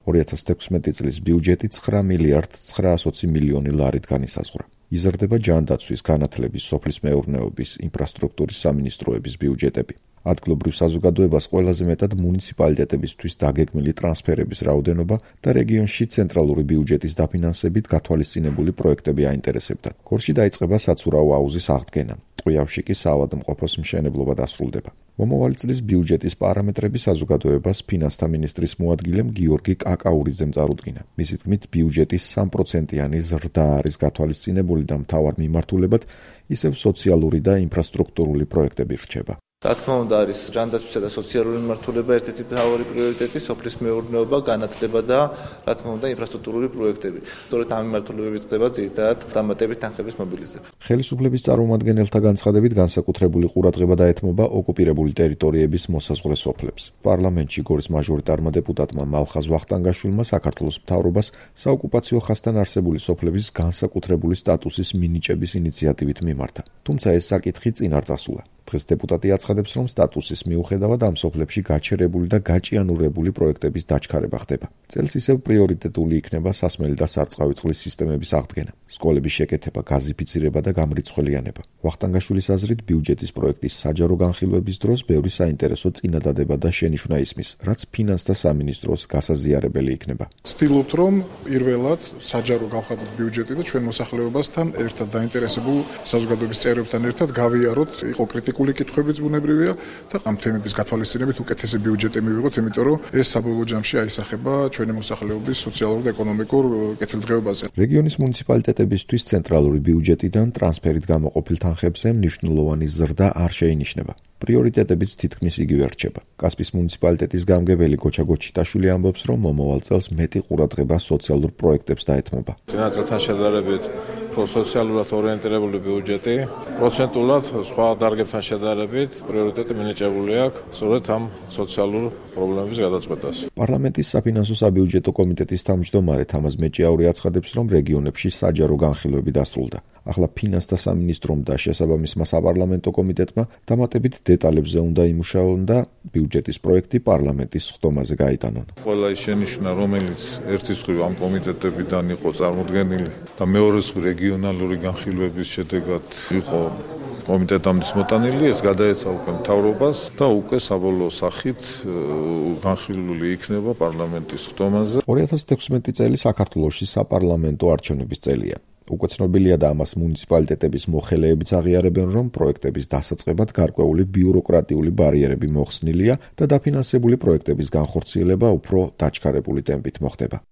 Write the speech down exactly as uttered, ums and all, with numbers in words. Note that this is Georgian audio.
ორი ათას თექვსმეტი წლის ბიუჯეტი ცხრა მილიარდ ცხრაასოცი მილიონი ლარით განისაზღვრა. იზრდება ჯანდაცვის, განათლების, სოფლის მეურნეობის, ინფრასტრუქტურის სამინისტროების ბიუჯეტები. ადგილობრივ საზოგადოებას ყველაზე მეტად მუნიციპალიტეტებისთვის დაგეგმილი ტრანსფერების რაოდენობა და რეგიონში ცენტრალური ბიუჯეტის დაფინანსებით გათვალისწინებული პროექტები აინტერესებდათ. გორში დაიწყება საცურაო აუზის აღდგენა. ტყვიავში კი საავადმყოფოს მშენებლობა დასრულდება. მომავალი წლის ბიუჯეტის პარამეტრები საზოგადოებას ფინანსთა მინისტრის მოადგილემ გიორგი კაკაურიძემ წარუდგინა. მისი თქმით, ბიუჯეტის სამი პროცენტიანი ზრდა არის გათვალისწინებული და მთავარ მიმართულებად ისევ სოციალური და ინფრასტრუქტურული პროექტები რჩება. რა თქმა უნდა, არის ჯანდაცვისა და სოციალური მიმართულება ერთ-ერთი მთავარი პრიორიტეტი, სოფლის მეურნეობა, განათლება და რა თქმა უნდა, ინფრასტრუქტურული პროექტები. სწორედ ამ მიმართულებებით ხდება ძირითადად დამატებით თანხების მობილიზება. ხელისუფლების წარმომადგენელთა განცხადებით განსაკუთრებული ყურადღება დაეთმობა ოკუპირებული ტერიტორიების მოსაზღვრე სოფლებს. პარლამენტში გორის მაჟორიტარმა დეპუტატმა მალხაზ ვახტანგაშვილმა საქართველოს მთავრობას საოკუპაციო ხაზთან არსებული სოფლების განსაკუთრებული სტატუსის მინიჭების ინიციატივით მიმართა. თუმცა ეს საკითხი წინ არ წასულა. დღეს დეპუტატი აცხადებს, რომ სტატუსის მიუხედავად ამ სოფლებში გაჩერებული და გაჭიანურებული პროექტების დაჩქარება ხდება. წელს ისევ პრიორიტეტული იქნება სასმელი და სარწყავი წყლის სისტემების აღდგენა, სკოლების შეკეთება, გაზიფიცირება და გამრიცხველიანება. ვახტანგაშვილის აზრით, ბიუჯეტის პროექტის საჯარო განხილვების დროს ბევრი საინტერესო წინადადება და შენიშვნა ისმის, რაც ფინანსთა სამინისტროს გასაზიარებელი იქნება. ვცდილობთ, რომ პირველად საჯარო გავხადოთ ბიუჯეტი და ჩვენ მოსახლეობასთან ერთად დაინტერესებულ საზოგადოების წევრებთან ერთად გავიაროთ, იყო კრიტიკული კითხვებიც ბუნებრივია და ამ თემების გათვალისწინებით უკეთესი ბიუჯეტი მივიღოთ, იმიტომ რომ ეს საბოლოო ჯამში აისახება ჩვენი მოსახლეობის სოციალურ და ეკონომიკურ კეთილდღეობაზე. რეგიონის მუნიციპალიტეტებისთვის ცენტრალური ბიუჯეტიდან ტრანსფერით გამოყოფილ თანხებზე მნიშვნელოვანი ზრდა არ შეინიშნება. პრიორიტეტებიც თითქმის იგივე რჩება. კასპის მუნიციპალიტეტის გამგებელი გოჩა გოჩიტაშვილი ამბობს, რომ მომავალ წელს მეტი ყურადღება სოციალურ პროექტებს დაეთმობა. წინა წელთან შედარებით პროსოციალურად ორიენტირებული ბიუჯეტი, პროცენტულად სხვა დარგებთან შედარებით პრიორიტეტი მინიჭებული აქვს სწორედ ამ სოციალურ პრობლემების გადაწყვეტას. პარლამენტის საფინანსო საბიუჯეტო კომიტეტის თავმჯდომარე თამაზ მეჭიაური აცხადებს, რომ რეგიონებში საჯარო განხილვები დასრულდა. ახლა ფინანსთა სამინისტრომ და შესაბამისმა საპარლამენტო კომიტეტმა დამატებით დეტალებზე უნდა იმუშაონ და ბიუჯეტის პროექტი პარლამენტის სხდომაზე გაიტანონ. ყველა ის შენიშვნა, რომელიც ერთის მხრივ ამ კომიტეტებიდან იყო წარმოდგენილი და მეორეს მხრივ რეგიონალური განხილვების შედეგად იყო კომიტეტამდე მოტანილი, ეს გადაეცა უკვე მთავრობას და უკვე საბოლოო სახით განხილული იქნება პარლამენტის სხდომაზე. ორი ათას თექვსმეტი წელი საქართველოში საპარლამენტო არჩევნების წელია. უკვე ცნობილია და ამას მუნიციპალიტეტების მოხელეებიც აღიარებენ, რომ პროექტების დასაწყებად გარკვეული ბიუროკრატიული ბარიერები მოხსნილია და დაფინანსებული პროექტების განხორციელება უფრო დაჩქარებული ტემპით მოხდება.